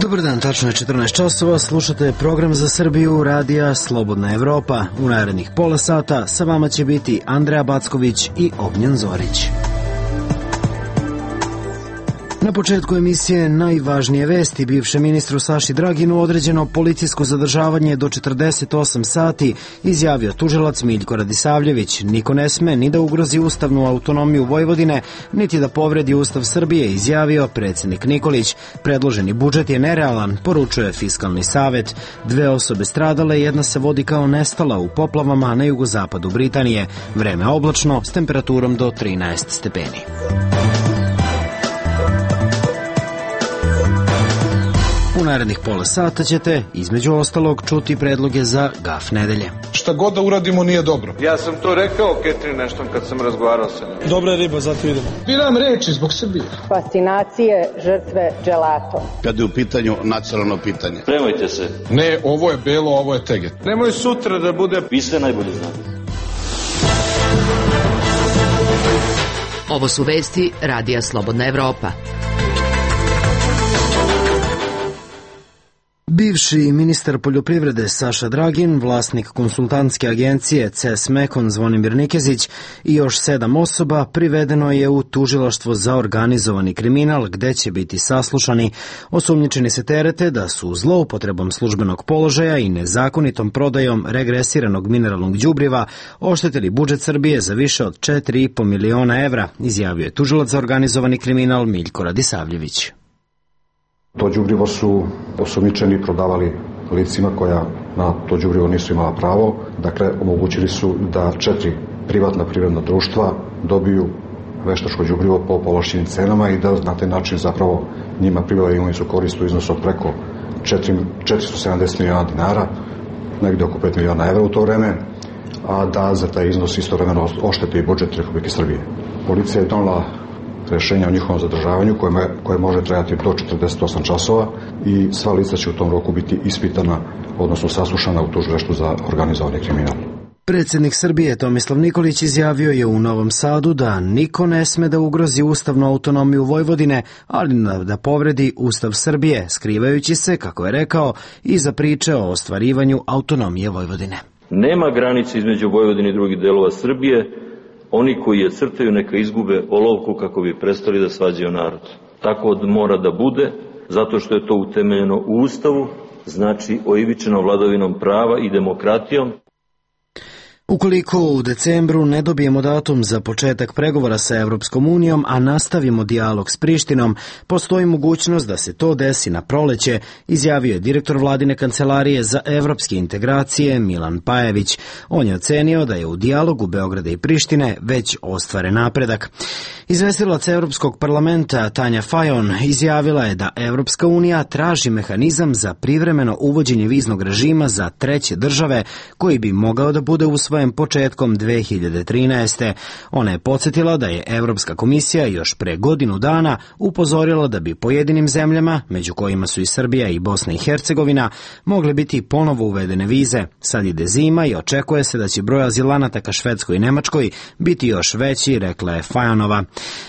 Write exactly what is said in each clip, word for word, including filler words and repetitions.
Dobar dan, tačno je četrnaest časova, slušate program za Srbiju radija Slobodna Evropa. U narednih pola sata sa vama će biti Andreja Backović i Ognjen Zorić. Na početku emisije najvažnije vesti. Bivšem ministru Saši Draginu određeno policijsko zadržavanje do četrdeset osam sati, izjavio tužilac Miljko Radisavljević. Niko ne sme ni da ugrozi ustavnu autonomiju Vojvodine, niti da povredi Ustav Srbije, izjavio predsjednik Nikolić. Predloženi budžet je nerealan, poručuje Fiskalni savet. Dve osobe stradale, jedna se vodi kao nestala u poplavama na jugozapadu Britanije. Vreme oblačno s temperaturom do trinaest stepeni. U narednih pola sata ćete, između ostalog, čuti predloge za gaf nedelje. Šta god da uradimo nije dobro. Ja sam to rekao Ketrin nešto kad sam razgovarao sa njim. Dobra riba, zato idemo. Biram reči zbog Srbije. Fascinacije žrtve dželato. Kad je u pitanju nacionalno pitanje. Spremajte se. Ne, ovo je belo, ovo je teget. Nemoj sutra da bude... Vi sve najbolje znate. Ovo su vesti radija Slobodna Evropa. Bivši ministar poljoprivrede Saša Dragin, vlasnik konsultantske agencije C E S Mekon Zvonimir Nikezić i još sedam osoba privedeno je u tužilaštvo za organizovani kriminal, gde će biti saslušani. Osumnjičeni se terete da su zloupotrebom službenog položaja i nezakonitom prodajom regresiranog mineralnog đubriva oštetili budžet Srbije za više od četiri i po miliona evra, izjavio je tužilac za organizovani kriminal Miljko Radisavljević. To đubrivo su osumnjičeni prodavali licima koja na to đubrivo nisu imala pravo. Dakle, omogućili su da četiri privatna privredna društva dobiju veštačko đubrivo po povlašćenim cenama i da na taj način zapravo njima pribave imovinsku korist u iznosu od preko četiristo sedamdeset miliona dinara, negde oko pet miliona evra u to vreme, a da za taj iznos istovremeno ošteti i budžet Republike Srbije. Policija je donela rešenja o njihovom zadržavanju koje, koje može trajati do četrdeset osam časova i sva lica će u tom roku biti ispitana, odnosno saslušana u tužilaštvu za organizovani kriminal. Predsjednik Srbije Tomislav Nikolić izjavio je u Novom Sadu da niko ne sme da ugrozi ustavnu autonomiju Vojvodine, ali da povredi Ustav Srbije, skrivajući se, kako je rekao, iza priče o ostvarivanju autonomije Vojvodine. Nema granice između Vojvodine i drugih delova Srbije. Oni koji je crtaju neka izgube olovku kako bi prestali da svađaju narod. Tako mora da bude, zato što je to utemeljeno u Ustavu, znači oivičeno vladavinom prava i demokratijom. Ukoliko u decembru ne dobijemo datum za početak pregovora sa Evropskom unijom, a nastavimo dijalog s Prištinom, postoji mogućnost da se to desi na proleće, izjavio je direktor vladine kancelarije za evropske integracije Milan Pajević. On je ocenio da je u dijalogu Beograda i Prištine već ostvaren napredak. Izvestilac Evropskog parlamenta Tanja Fajon izjavila je da Evropska unija traži mehanizam za privremeno uvođenje viznog režima za treće države koji bi mogao da bude usvojen početkom dve hiljade trinaeste. Ona je podsjetila da je Evropska komisija još pre godinu dana upozorila da bi pojedinim zemljama, među kojima su i Srbija i Bosna i Hercegovina, mogle biti ponovo uvedene vize. Sad ide zima i očekuje se da će broj azilanata ka Švedskoj i Nemačkoj biti još veći, rekla je Fajonova.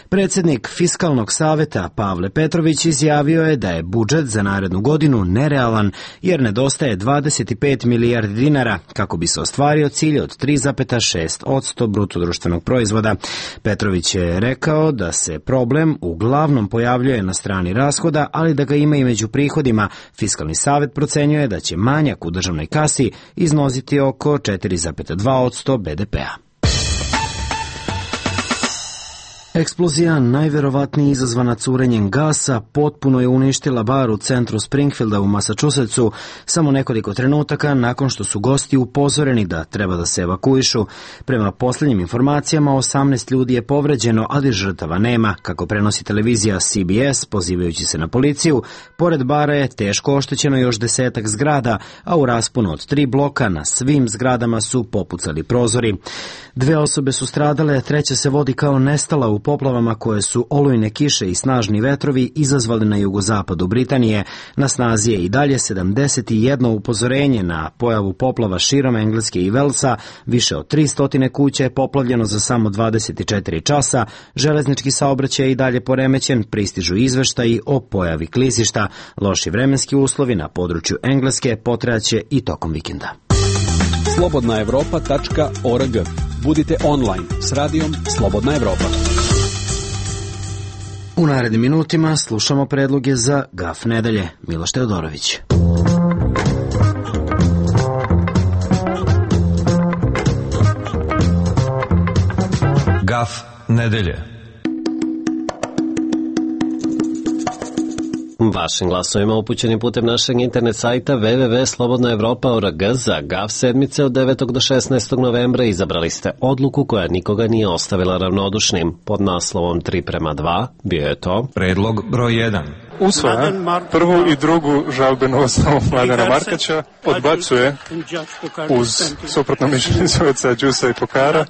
Predsjednik Fiskalnog saveta Pavle Petrović izjavio je da je budžet za narednu godinu nerealan jer nedostaje dvadeset pet milijardi dinara kako bi se ostvario cilj od tri zarez šest posto bruto društvenog proizvoda. Petrović je rekao da se problem uglavnom pojavljuje na strani rashoda, ali da ga ima i među prihodima. Fiskalni savet procenjuje da će manjak u državnoj kasi iznositi oko četiri zarez dva posto be de pea. Eksplozija, najverovatnije izazvana curenjem gasa, potpuno je uništila bar u centru Springfielda u Massachusettsu samo nekoliko trenutaka nakon što su gosti upozoreni da treba da se evakuišu. Prema posljednjim informacijama, osamnaest ljudi je povređeno, ali žrtava nema, kako prenosi televizija C B S, pozivajući se na policiju. Pored bara je teško oštećeno još desetak zgrada, a u rasponu od tri bloka na svim zgradama su popucali prozori. Dve osobe su stradale, treća se vodi kao nestala u poplavama koje su olujne kiše i snažni vetrovi izazvali na jugozapadu Britanije. Na snazi je i dalje sedamdeset jedno upozorenje na pojavu poplava širom Engleske i Velsa, više od tristo kuća je poplavljeno za samo dvadeset četiri časa, železnički saobraćaj je i dalje poremećen, pristižu izveštaji o pojavi klizišta, loši vremenski uslovi na području Engleske potrajaće i tokom vikenda. slobodna evropa tačka org. Budite online s radijom Slobodna Evropa. U narednim minutima slušamo predloge za Gaf nedelje. Miloš Teodorović. Gaf nedelje. Vašim glasovima upućenim putem našeg internet sajta w w w tačka slobodna evropa tačka org za Gaf sedmice od devetog do šesnaestog novembra izabrali ste odluku koja nikoga nije ostavila ravnodušnim. Pod naslovom tri prema dva bio je to predlog broj jedan. Usvaja prvu i drugu žalbenu osnovu Mladena Markaća, odbacuje uz suprotno mišljenje sudaca Đusa i Pokara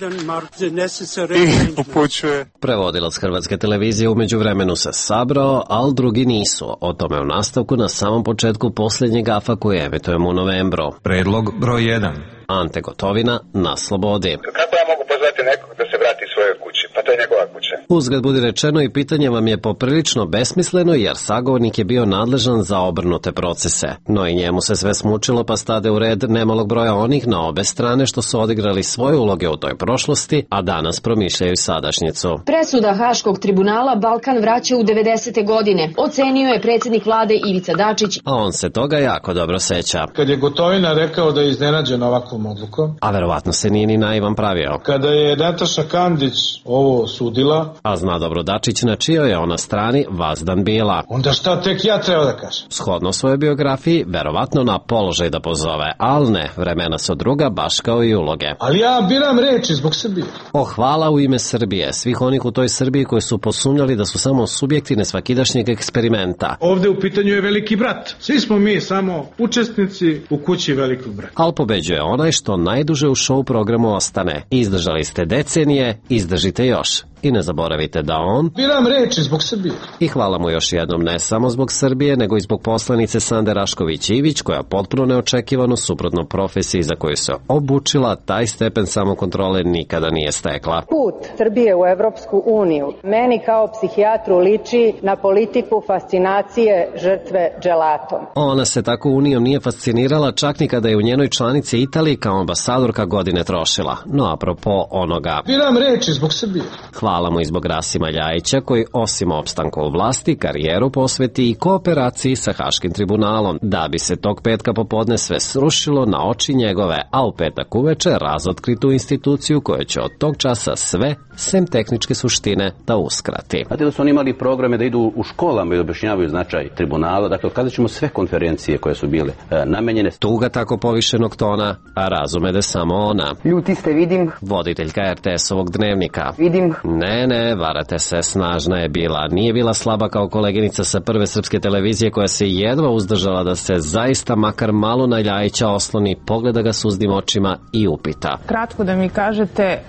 i upućuje. Prevodilac Hrvatske televizije umeđu vremenu se sabrao, ali drugi nisu. O tome u nastavku na samom početku posljednjeg Gafa koji emitujemo u novembru. Predlog broj jedan. Ante Gotovina na slobodi. Kako ja mogu pozvati nekog da se vrati svojoj kući? Pa to je njegova kuća. Uzgled budi rečeno i pitanje vam je poprilično besmisleno jer sagovornik je bio nadležan za obrnute procese. No i njemu se sve smučilo pa stade u red nemalog broja onih na obe strane što su odigrali svoje uloge u toj prošlosti, a danas promišljaju sadašnjicu. Presuda Haškog tribunala Balkan vraća u devedesete godine. Ocenio je predsjednik vlade Ivica Dačić. A on se toga jako dobro seća. Kad je Gotovina rekao da je iznenađen ovakvom odlukom. A verovatno se nije ni naivan pravio. Kada je Nataša Kandić ovo sudila. A zna dobro Dačić na čijoj je ona strani vazdan bila. Onda šta tek ja treba da kažem? Shodno svojoj biografiji, verovatno na položaj da pozove, ali ne, vremena su druga, baš kao i uloge. Ali ja biram reči zbog Srbije. O, hvala u ime Srbije, svih onih u toj Srbiji koji su posumnjali da su samo subjekti nesvakidašnjeg eksperimenta. Ovde u pitanju je veliki brat. Svi smo mi samo učesnici u kući velikog brata. Al pobeđuje onaj što najduže u show programu ostane. Izdržali ste decenije, izdržite još. I ne zaboravite da on... Biram reči zbog Srbije. I hvala mu još jednom ne samo zbog Srbije, nego i zbog poslanice Sande Rašković-Ivić, koja potpuno neočekivano suprotno profesiji za koju se obučila, taj stepen samokontrole nikada nije stekla. Put Srbije u Evropsku uniju meni kao psihijatru liči na politiku fascinacije žrtve dželatom. Ona se tako unijom nije fascinirala čak ni kada je u njenoj članici Italiji kao ambasadorka godine trošila. No, apropo onoga... Biram reči zbog Srbije. Hvala mu i zbog Rasima Ljajića koji osim opstanka u vlasti karijeru posveti i kooperaciji sa Haškim tribunalom da bi se tog petka popodne sve srušilo na oči njegove, a u petak uveče razotkri tu instituciju koja će od tog časa sve, sem tehničke suštine, da uskrati. Znate da su oni imali programe da idu u školama i objašnjavaju značaj tribunala, dakle otkazat ćemo sve konferencije koje su bile e, namenjene. Tuga tako povišenog tona, a razume da samo ona. Ljuti ste, vidim. Voditeljka er te esovog dnevnika. Vidim. Ne, ne, varate se, snažna je bila. Nije bila slaba kao koleginica sa Prve srpske televizije koja se jedva uzdržala da se zaista makar malo na Ljajića osloni, pogleda ga suzdim očima i upita. Kratko da mi kažete,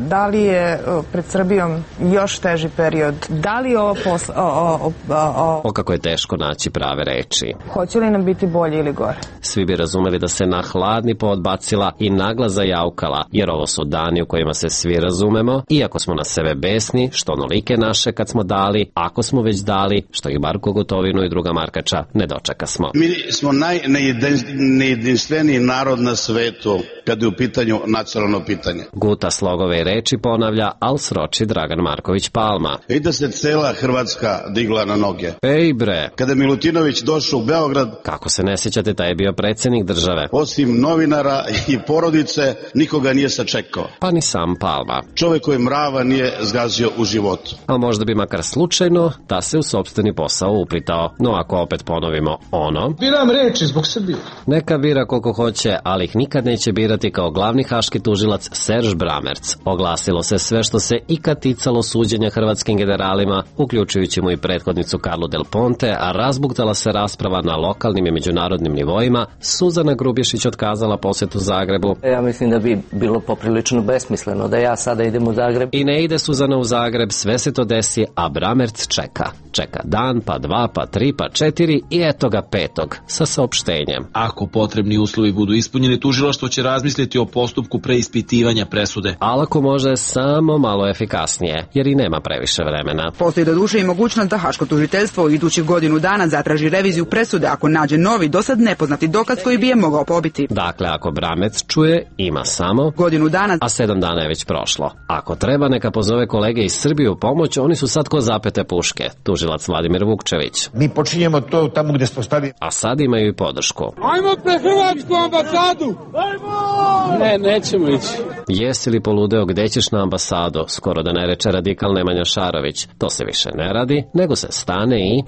da li je pred Srbijom još teži period? Da li ovo posle... O, o, o, o kako je teško naći prave reči. Hoće li nam biti bolje ili gore? Svi bi razumeli da se na hladni poodbacila i naglas zajaukala, jer ovo su dani u kojima se svi razumemo, iako smo na sebe besni, što onolike naše kad smo dali, ako smo već dali, što ih Marko Gotovinu i druga Markača ne dočeka smo. Mi smo najnejedinstveniji narod na svetu kad je u pitanju nacionalno pitanje. Guta slogove i reči ponavlja, al sroči Dragan Marković Palma. I da se cela Hrvatska digla na noge. Ej bre! Kada Milutinović došao u Beograd... Kako se ne sjećate, taj je bio predsjednik države. Osim novinara i porodice, nikoga nije sačekao. Pa ni sam Palma. Čovjek koji mrava nije zgazio u životu. A možda bi makar slučajno da se u sopstveni posao uplitao. No ako opet ponovimo ono... Biram reči zbog Srbije. Neka bira koliko hoće, ali ih nikad neće birati kao glavni haški tužilac Serž Bramerc. Oglasilo se sve što se ikad ticalo suđenja hrvatskim generalima, uključujući mu i prethodnicu Karlu Del Ponte, a razbuktala se rasprava na lokalnim i međunarodnim nivoima. Suzana Grubješić otkazala posjetu Zagrebu. Ja mislim da bi bilo poprilično besmisleno da ja sada idem u Zagreb. I ne ide Suzana ubrzano u Zagreb, sve se to desi, a Bramerc čeka. Čeka dan, pa dva, pa tri, pa četiri i eto ga petog sa saopštenjem. Ako potrebni uslovi budu ispunjeni, tužilaštvo će razmisliti o postupku preispitivanja presude. Ali ako može samo malo efikasnije, jer i nema previše vremena. Postoji do duše i mogućnost da Haško tužiteljstvo u idućih godinu dana zatraži reviziju presude ako nađe novi, dosad nepoznati dokaz koji bi je mogao pobiti. Dakle, ako Bramerc čuje, ima samo godinu dana, a sedam dana je već prošlo. Ako treba, neka pozove kolege iz Srbije u pomoć, oni su sad ko zapete puške. Tužilac Vladimir Vukčević. Mi počinjemo to tamo gdje smo stali. A sad imaju i podršku. Ajmo pre Hrvatsku ambasadu! Ajmo! Ne, nećemo ići. Jesi li poludeo gde ćeš na ambasadu? Skoro da ne reče radikal Nemanja Šarović. To se više ne radi, nego se stane i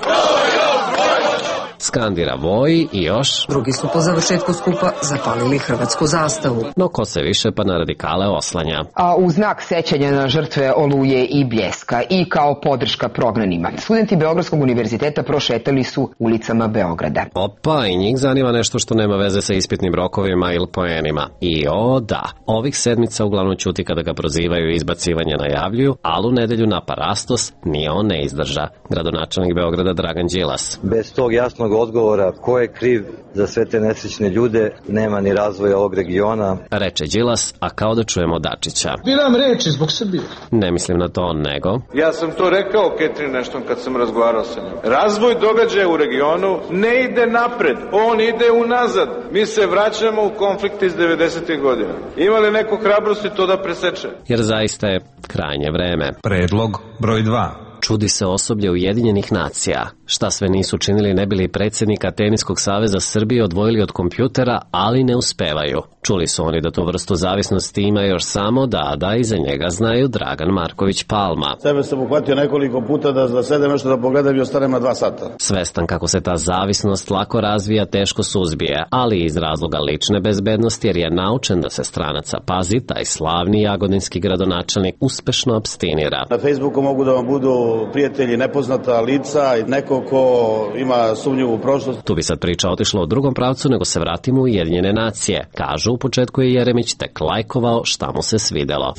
skandira Voji i još drugi su po završetku skupa zapalili hrvatsku zastavu. No ko se više pa na radikale oslanja. A u znak sećanja na žrtve Oluje i Bljeska i kao podrška prognanima, studenti Beogradskog univerziteta prošetali su ulicama Beograda. Opa, i njih zanima nešto što nema veze sa ispitnim rokovima ili poenima. I o da, ovih sedmica uglavnom ćuti kada ga prozivaju i izbacivanje najavljuju, ali u nedelju na Parastos ni on ne izdrža. Gradonačelnik Beograda Dragan Đilas. Bez tog jasnog odgovora ko je kriv za sve te nesrećne ljude, nema ni razvoja ovog regiona. Reče Đilas, a kao da čujemo Dačića. Biram reči zbog Srbije. Ne mislim na to, nego... Ja sam to rekao Ketrin Ashton kad sam razgovarao sa njom. Razvoj događaja u regionu ne ide napred, on ide unazad. Mi se vraćamo u konflikte iz devedesetih godina. Ima li neko hrabrosti to da preseče? Jer zaista je krajnje vreme. Predlog broj dva. Čudi se osoblje Ujedinjenih nacija. Šta sve nisu činili ne bili predsjednika Teniskog saveza Srbije odvojili od kompjutera, ali ne uspevaju. Čuli su oni da tu vrstu zavisnosti ima još samo da, da iza njega znaju Dragan Marković Palma. Sebe sam uhvatio nekoliko puta da, da sedem nešto da pogledam i ostanem na dva sata. Svestan kako se ta zavisnost lako razvija, teško suzbije, ali iz razloga lične bezbednosti jer je naučen da se stranaca pazi, taj slavni jagodinski gradonačelnik uspešno apstinira. Na Facebooku mogu da vam budu prijatelji nepoznata lica i neko ko ima sumnjivu prošlost. Tu bi sad priča otišla u drugom pravcu, nego se vratimo u Ujedinjene nacije. Kažu, u početku je Jeremić tek lajkovao šta mu se svidelo.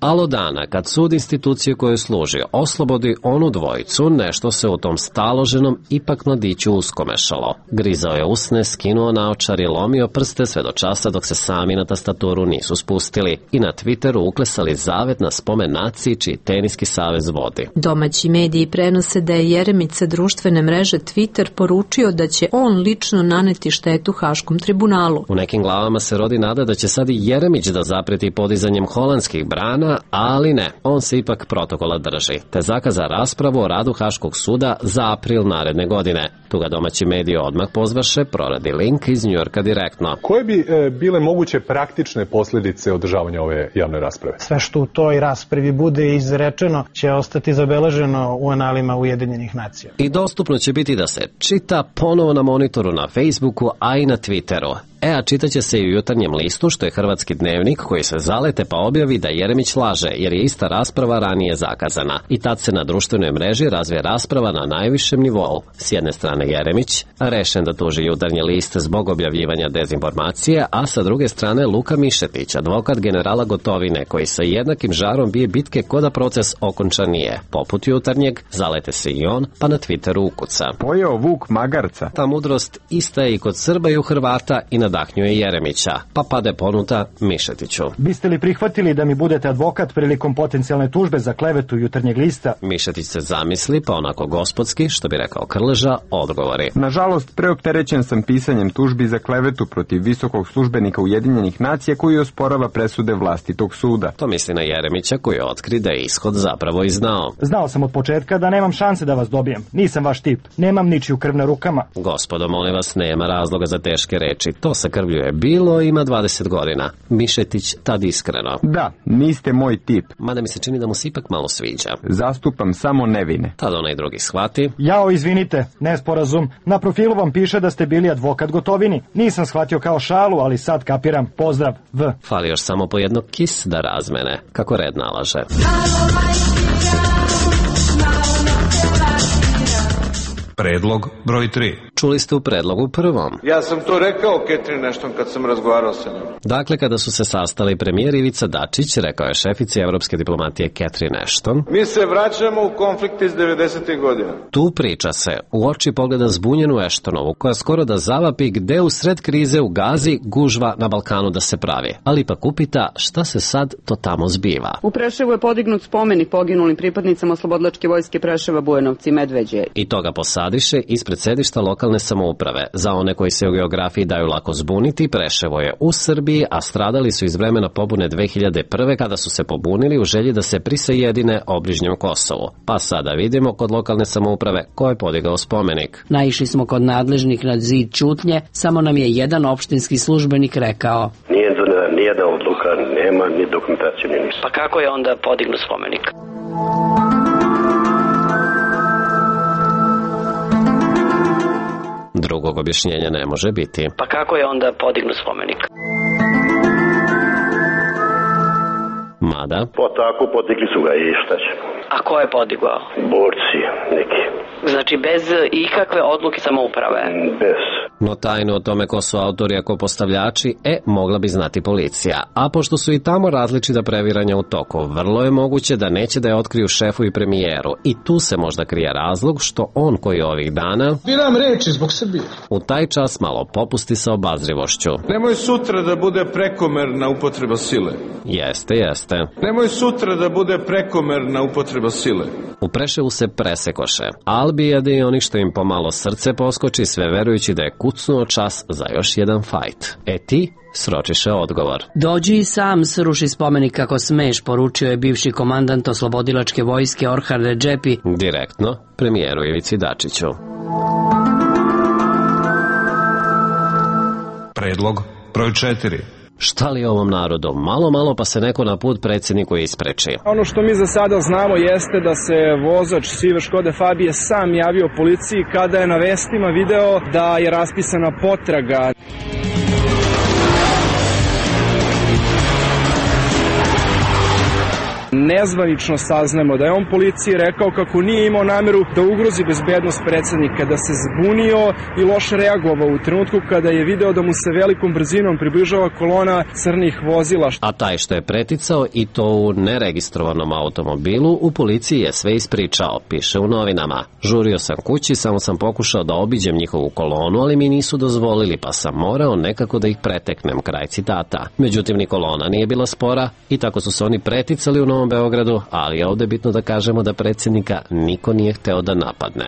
Alo dana, kad sud institucije koju služi oslobodi onu dvojicu, nešto se u tom staloženom ipak mladiću uskomešalo. Grizao je usne, skinuo naočar i lomio prste sve do časa dok se sami na tastaturu nisu spustili i na Twitteru uklesali zavet na spomen naciji čiji Teniski savez vodi. Domaći mediji prenose da je Jeremić sa društvene mreže Twitter poručio da će on lično naneti štetu Haškom tribunalu. U nekim glavama se rodi nada da će sad i Jeremić da zapreti podizanjem holandskih brana, ali ne, on se ipak protokola drži, te zakaza raspravu o radu Haškog suda za april naredne godine. Tu ga domaći mediji odmah pozvaše, proradi link iz Njujorka direktno. Koje bi e, bile moguće praktične posljedice održavanja ove javne rasprave? Sve što u toj raspravi bude izrečeno će ostati zabeleženo u analima Ujedinjenih nacija. I dostupno će biti da se čita ponovo na monitoru na Facebooku, a i na Twitteru. E, a čitaće se i u Jutarnjem listu, što je hrvatski dnevnik koji se zalete pa objavi da Jeremić laže, jer je ista rasprava ranije zakazana. I tad se na društvenoj mreži razvije rasprava na najvišem nivou. S jedne strane Jeremić, rešen da tuži Jutarnji list zbog objavljivanja dezinformacije, a sa druge strane Luka Mišetić, advokat generala Gotovine, koji sa jednakim žarom bije bitke ko da proces okončan nije. Poput Jutarnjeg, zalete se i on, pa na Twitteru ukuca. Pojeo vuk magarca. Ta mudrost ista je i kod Srba i u Hrvata i nadahnjuje Jeremića, pa pade ponuta Mišetiću. Biste li prihvatili da mi budete advokat prilikom potencijalne tužbe za klevetu Jutarnjeg lista? Mišetić se zamisli, pa onako gospodski, što bi rekao Krleža, odgovori. Nažalost, preopterećen sam pisanjem tužbi za klevetu protiv visokog službenika Ujedinjenih nacija koji osporava presude vlastitog suda. To misli na Jeremića koji otkri da je ishod zapravo i znao. Znao sam od početka da nemam šanse da vas dobijem. Nisam vaš tip. Nemam ničiju krv na rukama. Gospodo, molim vas, nema razloga za teške reči. To sa krvlju je bilo, ima dvadeset godina. Mišetić tad iskreno. Da, niste moj tip. Mada mi se čini da mu se ipak malo sviđa. Zastupam samo nevine. Tad onaj drugi shvati. Jao, izvinite, nesporazum. Na profilu vam piše da ste bili advokat Gotovini. Nisam shvatio kao šalu, ali sad kapiram. Pozdrav, V. Fali još samo po jedno kis da razmene, kako red nalaže. Predlog broj tri. Čuli ste u predlogu prvom. Ja sam to rekao Catherine Ashton kad sam razgovarao sa njom. Dakle, kada su se sastali premijer Ivica Dačić, rekao je šefici evropske diplomatije Catherine Ashton: mi se vraćamo u konflikt iz devedesetih godina. Tu priča se, u oči pogleda zbunjenu Ashtonovu, koja skoro da zavapi gde u sred krize u Gazi gužva na Balkanu da se pravi. Ali ipak upita šta se sad to tamo zbiva. U Preševu je podignut spomenik poginulim pripadnicama Oslobodilačke vojske Preševa, Bujanovci i Medveđe. I to ga posadiše ispred sedišta lokalne samouprave. Za one koji se u geografiji daju lako zbuniti, Preševo je u Srbiji, a stradali su iz vremena pobune dve hiljade prve kada su se pobunili u želji da se prisajedine obližnjem Kosovu. Pa sada vidimo kod lokalne samouprave ko je podigao spomenik. Naišli smo kod nadležnih na zid ćutnje, samo nam je jedan opštinski službenik rekao: nije donela nijedna odluka, nema ni dokumentacije, ni ništa. Pa kako je onda podignut spomenik? Drugog objašnjenja ne može biti. Pa kako je onda podignut spomenik? Mada? Po tako podigli su ga i šta će. A ko je podigao? Borci neki. Znači bez ikakve odluke samouprave? Bez. No tajnu o tome ko su autori a ko postavljači, e, mogla bi znati policija. A pošto su i tamo različita previranja u toku, vrlo je moguće da neće da je otkriju šefu i premijeru. I tu se možda krije razlog što on koji ovih dana... Biram reči zbog Srbije. U taj čas malo popusti sa obazrivošću. Nemoj sutra da bude prekomerna upotreba sile. Jeste, jeste. Nemoj sutra da bude prekomerna upotreba sile. U Preševu se presekoše. Albijade i oni što im pomalo srce poskoči, sve verujući da je kucnuo čas za još jedan fajt. E ti sročiše odgovor. Dođi i sam sruši spomenik kako smeš, poručio je bivši komandant Oslobodilačke vojske Orhan Redžepi direktno premijeru Ivici Dačiću. Predlog broj četiri. Šta li ovom narodu? Malo, malo pa se neko na put predsjedniku ispreči. Ono što mi za sada znamo jeste da se vozač sive Škode Fabije sam javio policiji kada je na vestima video da je raspisana potraga. Nezvanično saznamo da je on policiji rekao kako nije imao nameru da ugrozi bezbednost predsjednika, da se zbunio i loše reagovao u trenutku kada je video da mu se velikom brzinom približava kolona crnih vozila. A taj što je preticao i to u neregistrovanom automobilu, u policiji je sve ispričao, piše u novinama. Žurio sam kući, samo sam pokušao da obiđem njihovu kolonu, ali mi nisu dozvolili, pa sam morao nekako da ih preteknem, kraj citata. Međutim, ni kolona nije bila spora i tako su se oni preticali u Novom Beogradu, ali je ovde bitno da kažemo da predsjednika niko nije hteo da napadne.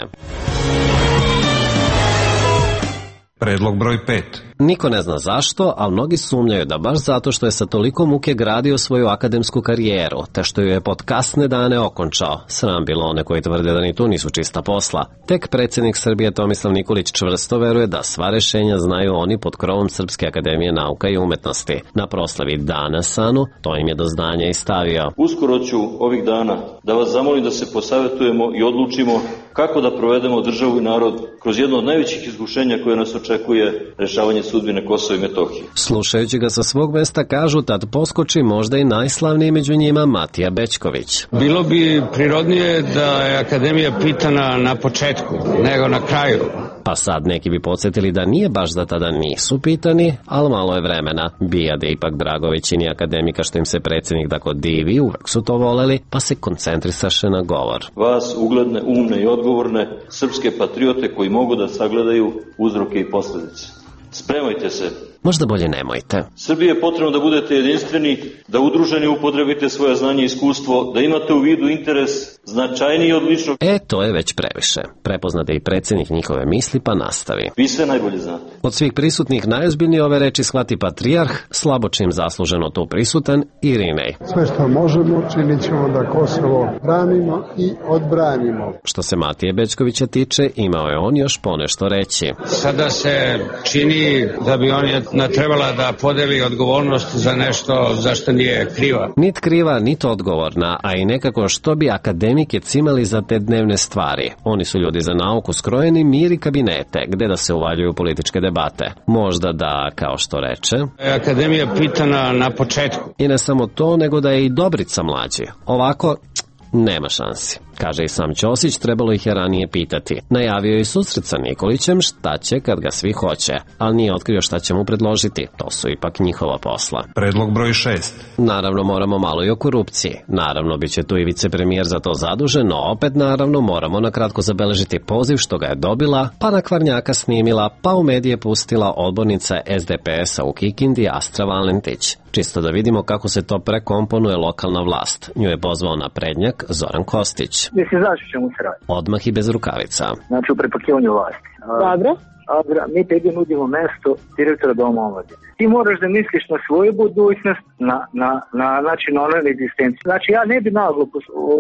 Predlog broj pet. Niko ne zna zašto, ali mnogi sumnjaju da baš zato što je sa toliko muke gradio svoju akademsku karijeru, te što ju je pod kasne dane okončao. Sram bilo one koji tvrde da ni tu nisu čista posla. Tek predsjednik Srbije Tomislav Nikolić čvrsto veruje da sva rešenja znaju oni pod krovom Srpske akademije nauka i umetnosti. Na proslavi Dana Sanu to im je do znanja i stavio. Uskoro ću ovih dana da vas zamolim da se posavetujemo i odlučimo kako da provedemo državu i narod kroz jedno od najvećih iskušenja koje nas očekuje, rešavanje sudbine Kosova i Metohije. Slušajući ga sa svog mesta kažu tad poskoči možda i najslavniji među njima Matija Bećković. Bilo bi prirodnije da je akademija pitana na početku, nego na kraju. Pa sad neki bi podsjetili da nije baš da tada nisu pitani, ali malo je vremena. Bijade ipak drago većini akademika što im se predsjednik tako divi, uvek su to voleli, pa se koncentrisaše na govor. Vas, ugledne, umne i odgovorne, srpske patriote koji mogu da sagledaju uzroke i posljedice. Spremajte se. Možda bolje nemojte. Srbiji je potrebno da budete jedinstveni, da udruženi upotrebite svoje znanje i iskustvo, da imate u vidu interes značajniji od ličnog... E, to je već previše. Prepoznate i predsjednik njihove misli, pa nastavi. Vi sve najbolje znate. Od svih prisutnih najozbiljnije ove reči shvati patrijarh, slabo čim zasluženo tu prisutan, Irinej. Sve što možemo činit ćemo da Kosovo branimo i odbranimo. Što se Matije Bećkovića tiče, imao je on još ponešto reći. Sada se čini da bi on je trebala da podeli odgovornost za nešto za što nije kriva. Nit kriva, nit odgovorna, a i nekako što bi akademike cimali za te dnevne stvari. Oni su ljudi za nauku skrojeni, mir i kabinete, gde da se uvaljuju političke debate. Možda da, kao što reče, akademija pitana na početku. I ne samo to, nego da je i Dobrica mlađi. Ovako, nema šansi. Kaže i sam Ćosić, trebalo ih je ranije pitati. Najavio je susret sa Nikolićem šta će kad ga svi hoće, ali nije otkrio šta će mu predložiti. To su ipak njihova posla. Predlog broj šest. Naravno moramo malo i o korupciji. Naravno bit će tu i vicepremijer za to zadužen, no opet naravno moramo na kratko zabeležiti poziv što ga je dobila, pa na Kvarnjaka snimila, pa u medije pustila odbornica S D P S-a u Kikindi Astra Valentić. Čisto da vidimo kako se to prekomponuje lokalna vlast. Nju je pozvao na prednjak Zoran Kostić. Mislim, znaš o čemu se radi? Odmah i bez rukavica. Znači u prepakivanju vlasti. Dobro. Adra, mi tebi nudimo mesto direktora Doma omladine. Ti moraš da misliš na svoju budućnost, na, na, na, znači, na onoj egzistenciju. Znači ja ne bi naglo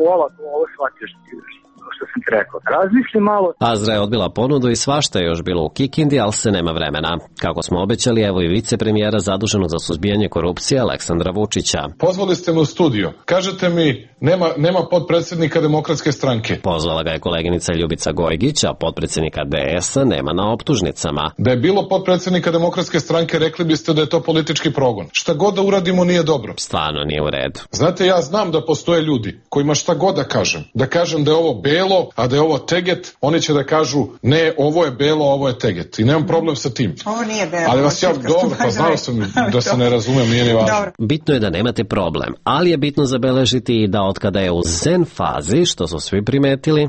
ovo, ovo shvatio što ti još. Što sam ti rekao. Razmisli malo. Azra je odbila ponudu i svašta je još bilo u Kikindi, ali se nema vremena. Kako smo obećali, evo i vicepremijera zaduženog za suzbijanje korupcije Aleksandra Vučića. Pozvali ste me u studio. Kažete mi, nema, nema potpredsjednika Demokratske stranke. Pozvala ga je koleginica Ljubica Gojgić, a potpredsjednika D S-a nema na optužnicama. Da je bilo potpredsjednika Demokratske stranke, rekli biste da je to politički progon. Šta god da uradimo nije dobro. Stvarno nije u redu. Znate, ja znam da postoje ljudi kojima šta god da kažem. Da kažem da je ovo belo, a da je ovo teget, oni će da kažu ne, ovo je belo, ovo je teget. I nemam problem sa tim. Ovo nije belo. Ali vas ja dobro, pa znao sam da se ne razumem, nije ni važno. Bitno je da nemate problem, ali je bitno zabeležiti i da otkada je u zen fazi, što su svi primetili,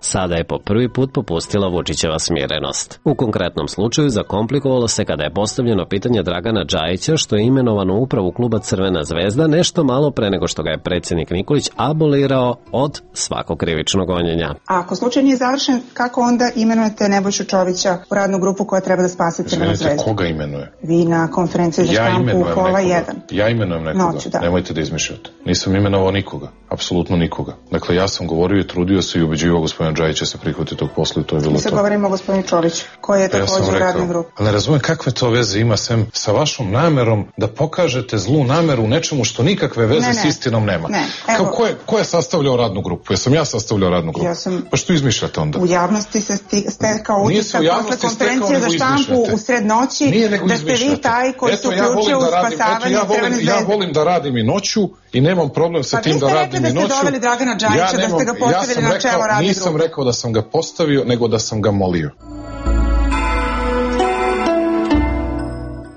sada je po prvi put popustila Vučićeva smirenost. U konkretnom slučaju zakomplikovalo se kada je postavljeno pitanje Dragana Džajića, što je imenovan u upravu kluba Crvena zvezda nešto malo pre nego što ga je predsjednik Nikolić abolirao od svakog krivičnog gonjenja. A ako slučaj nije završen, kako onda imenujete Nebojšu Čovića u radnu grupu koja treba da spase Crvenu zvezdu? Izvinite, koga imenuje? Vi na konferenciji za štampu u pola jedan. Ja imenujem nekoga, Noću, da. Nemojte da izmišljate. Nisam imenovao nikoga, apsolutno nikoga. Dakle, ja sam govorio i trudio se i ubeđivao gospodina Džajića će se prihvatiti tog posla i to je bilo to. Mi se govorimo o gospodinu Čoviću, koji je također u radnoj grupi. Ali ne razumijem kakve to veze ima sem sa vašom namerom da pokažete zlu nameru u nečemu što nikakve veze ne, ne. s istinom nema. Ne, Kao, ko, je, ko je sastavljao radnu grupu? Jesam ja sastavljao radnu grupu? Ja sam... Pa što izmišljate onda? U javnosti se stekao utisak posle konferencije za štampu u sred noći da ste vi taj koji se uključio u spasavanje Crvene zvezde. Ja volim da radim i noću i nemam problem sa tim da radim i noću. Pa vi ste rekli da ste doveli Dragana Džajića, da ste ga postavili na čelo radne grupe. Nisam rekao da sam ga postavio, nego da sam ga molio.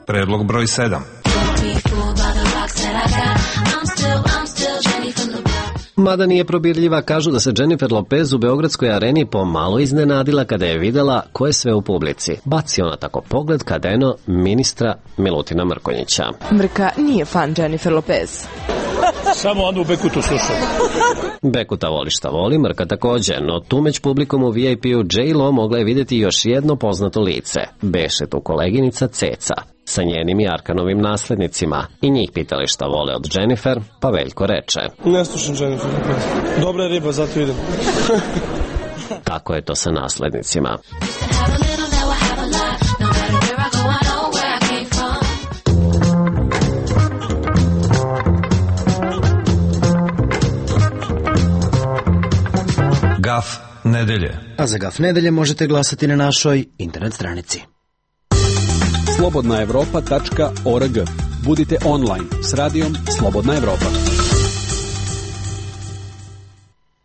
Predlog broj sedam. Mada nije probirljiva, kažu da se Jennifer Lopez u Beogradskoj areni pomalo iznenadila kada je videla ko je sve u publici. Baci ona tako pogled kada eno ministra Milutina Mrkonjića. Mrka nije fan Jennifer Lopez. Samo onda u Bekutu slušam. Bekuta voli šta voli, Mrka također, no tu među publikom u V I P-u J-Lo mogla je vidjeti još jedno poznato lice. Beše tu koleginica Ceca sa njenim i Arkanovim naslednicima. I njih pitali šta vole od Jennifer, pa Veljko reče: ne slušam Jennifer Lopez. Dobra je riba, zato idem. Kako je to sa naslednicima? Gaf nedelje. A za Gaf nedelje možete glasati na našoj internet stranici. slobodna evropa tačka org. Budite online s radijom Slobodna Evropa.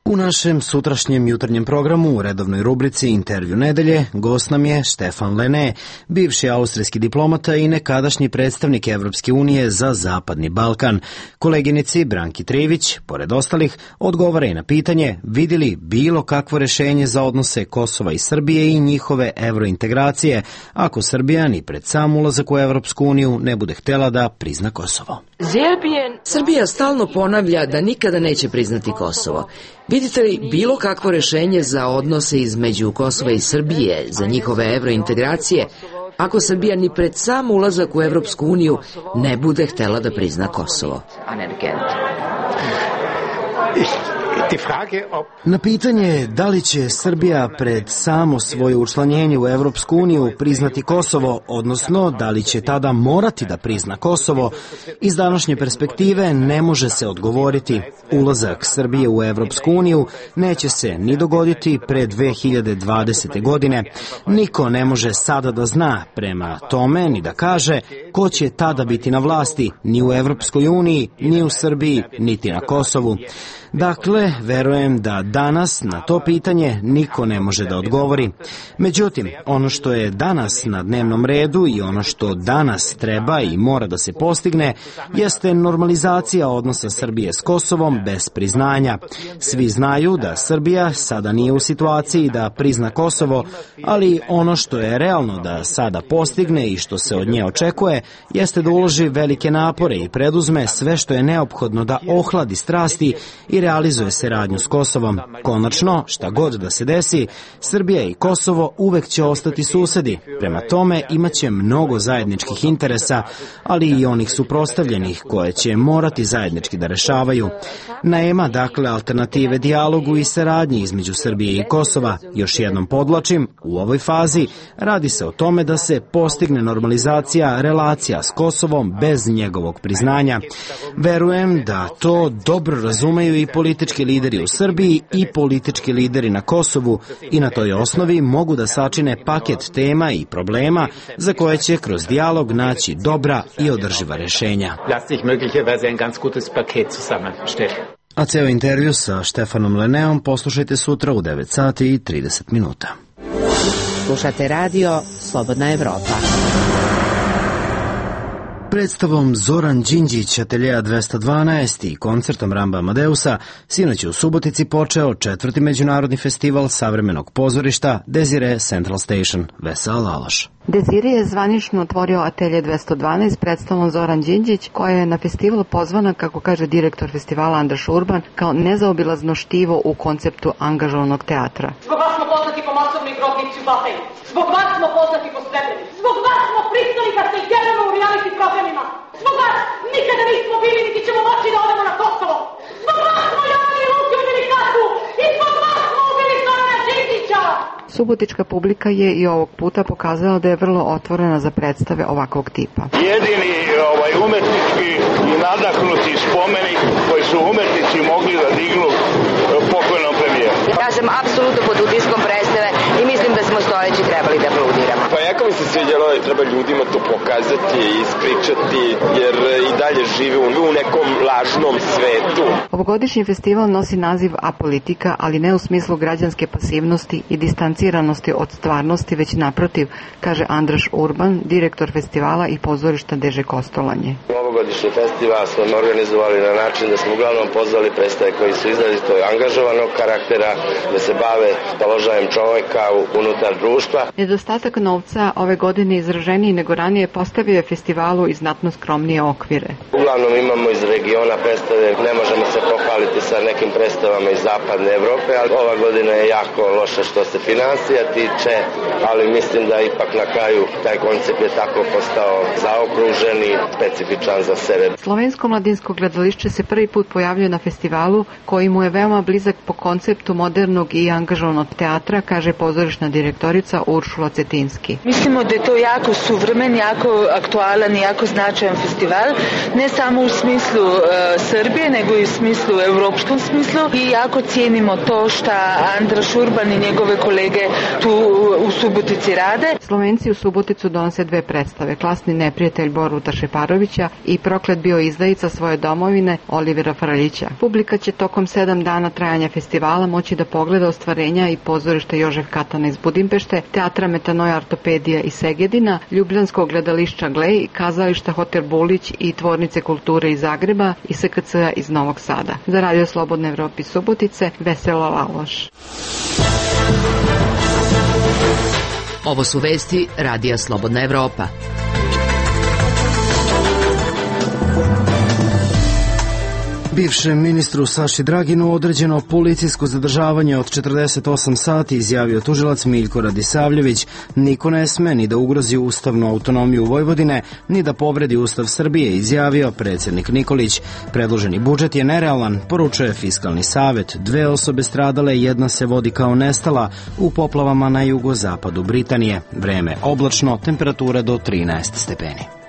U našem sutrašnjem jutarnjem programu u redovnoj rubrici Intervju nedelje gost nam je Štefan Lene, bivši austrijski diplomata i nekadašnji predstavnik Evropske unije za Zapadni Balkan. Koleginici Branki Trivić, pored ostalih, odgovara i na pitanje vidi li bilo kakvo rešenje za odnose Kosova i Srbije i njihove evrointegracije ako Srbija ni pred sam ulazak u Evropsku uniju ne bude htjela da prizna Kosovo. Srbija stalno ponavlja da nikada neće priznati Kosovo. Vidite li bilo kakvo rešenje za odnose između Kosova i Srbije, za njihove evrointegracije, ako Srbija ni pred sam ulazak u Evropsku uniju ne bude htjela da prizna Kosovo? Na pitanje da li će Srbija pred samo svoje učlanjenje u Evropsku uniju priznati Kosovo, odnosno da li će tada morati da prizna Kosovo, iz današnje perspektive ne može se odgovoriti. Ulazak Srbije u Evropsku uniju neće se ni dogoditi pre dve hiljade dvadesete. godine. Niko ne može sada da zna prema tome ni da kaže ko će tada biti na vlasti, ni u Evropskoj uniji, ni u Srbiji, niti na Kosovu. Dakle, verujem da danas na to pitanje niko ne može da odgovori. Međutim, ono što je danas na dnevnom redu i ono što danas treba i mora da se postigne jeste normalizacija odnosa Srbije s Kosovom bez priznanja. Svi znaju da Srbija sada nije u situaciji da prizna Kosovo, ali ono što je realno da sada postigne i što se od nje očekuje jeste da uloži velike napore i preduzme sve što je neophodno da ohladi strasti i realizuje saradnju s Kosovom. Konačno, šta god da se desi, Srbija i Kosovo uvek će ostati susedi. Prema tome, imaće mnogo zajedničkih interesa, ali i onih suprotstavljenih koje će morati zajednički da rešavaju. Nema, dakle, alternative dijalogu i saradnji između Srbije i Kosova. Još jednom podlačim, u ovoj fazi radi se o tome da se postigne normalizacija relacija s Kosovom bez njegovog priznanja. Verujem da to dobro razumeju i politički lideri u Srbiji i politički lideri na Kosovu i na toj osnovi mogu da sačine paket tema i problema za koje će kroz dijalog naći dobra i održiva rešenja. A ceo intervju sa Štefanom Leneom poslušajte sutra u devet sati i trideset minuta. Slušate radio Slobodna Evropa. Predstavom Zoran Đinđić Ateljeja dvesta dvanaest i koncertom Ramba Amadeusa sinoć je u Subotici počeo četvrti međunarodni festival savremenog pozorišta Desire Central Station. Vesela Laloš. Desire je zvanično otvorio Atelje dvesta dvanaest predstavom Zoran Đinđić, koja je na festival pozvana, kako kaže direktor festivala Andraš Urban, kao nezaobilazno štivo u konceptu angažovanog teatra. Zbog vas smo poznati po masovnoj grobnici u Batajni. Zbog vas smo poznati po Srebrenici. Zbog vas smo pristali da se jedemo u reality programima. Zbog vas nikada nismo bili niti ćemo moći da odemo na Kosovo. Zbog vas smo javili ruke u Velikatu i zbog vas smo ubili Zorana Đinđića. Subotička publika je i ovog puta pokazala da je vrlo otvorena za predstave ovakvog tipa. Jedini ovaj, umetnički i nadahnuti spomenik koji su umetnici mogli da dignu pokojnom premijeru. Ja sam apsolutno pod utiskom predstave i mislim da smo stojeći trebali da aplaudiramo. Pa jako mi se sviđalo da treba ljudima to pokazati i ispričati, jer i dalje žive u nekom lažnom svetu. Ovogodišnji festival nosi naziv Apolitika, ali ne u smislu građanske pasivnosti i distanciranosti od stvarnosti, već naprotiv, kaže Andraš Urban, direktor festivala i pozorišta Deže Kostolanje. Ovogodišnji festival smo organizovali na način da smo uglavnom pozvali predstave koji su izrazito angažovanog karaktera, da se bave položajem čoveka unutar društva. Nedostatak novca ove godine izraženiji nego ranije postavio je festivalu i znatno skromnije okvire. Uglavnom imamo iz regiona predstave, ne možemo se pohvaliti sa nekim predstavama iz zapadne Evrope, ali ova godina je jako loša što se financija tiče, ali mislim da ipak na kraju taj koncept je tako postao zaokružen i specifičan za sebe. Slovensko mladinsko gledališće se prvi put pojavljuje na festivalu, koji mu je veoma blizak po konceptu modernog i angažovanog teatra, kaže pozorišna direktorica Uršula Cetinski. Mislimo da je to jako suvremen, jako aktualan i jako značajan festival, ne samo u smislu uh, Srbije, nego i u smislu, evropskom smislu, i jako cijenimo to što Andraš Urban i njegove kolege tu u Subotici rade. Slovenci u Suboticu donose dve predstave, Klasni neprijatelj Boruta Šeparovića i Proklet bio izdajica svoje domovine Olivera Fraljića. Publika će tokom sedam dana trajanja festivala moći da pogleda ostvarenja i pozorišta Jožef Katana iz Budimpešte, teatra Metanoja Ortopedija iz Segedina, Ljubljanskog gledališća Glej, kazališta Hotel Bulić i Tvornice kulture iz Zagreba i S K C-a iz Novog Sada. Za Radio Slobodne Evrope Subotice, Vesela Laloš. Ovo su vesti Radija Slobodna Evropa. Bivšem ministru Saši Draginu određeno policijsko zadržavanje od četrdeset osam sati, izjavio tužilac Miljko Radisavljević. Niko ne sme ni da ugrozi ustavnu autonomiju Vojvodine, ni da povredi Ustav Srbije, izjavio predsjednik Nikolić. Predloženi budžet je nerealan, poručuje Fiskalni savet. Dve osobe stradale, jedna se vodi kao nestala u poplavama na jugozapadu Britanije. Vreme oblačno, temperatura do trinaest stepeni.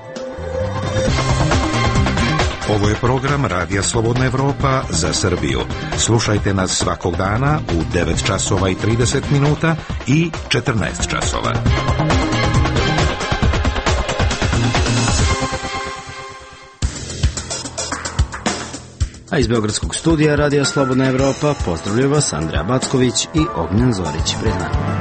Ovo je program Radija Slobodna Evropa za Srbiju. Slušajte nas svakog dana u devet časova i trideset minuta i četrnaest časova. A iz Beogradskog studija Radija Slobodna Evropa pozdravljaju vas Andreja Backović i Ognjen Zorić. Pred nama.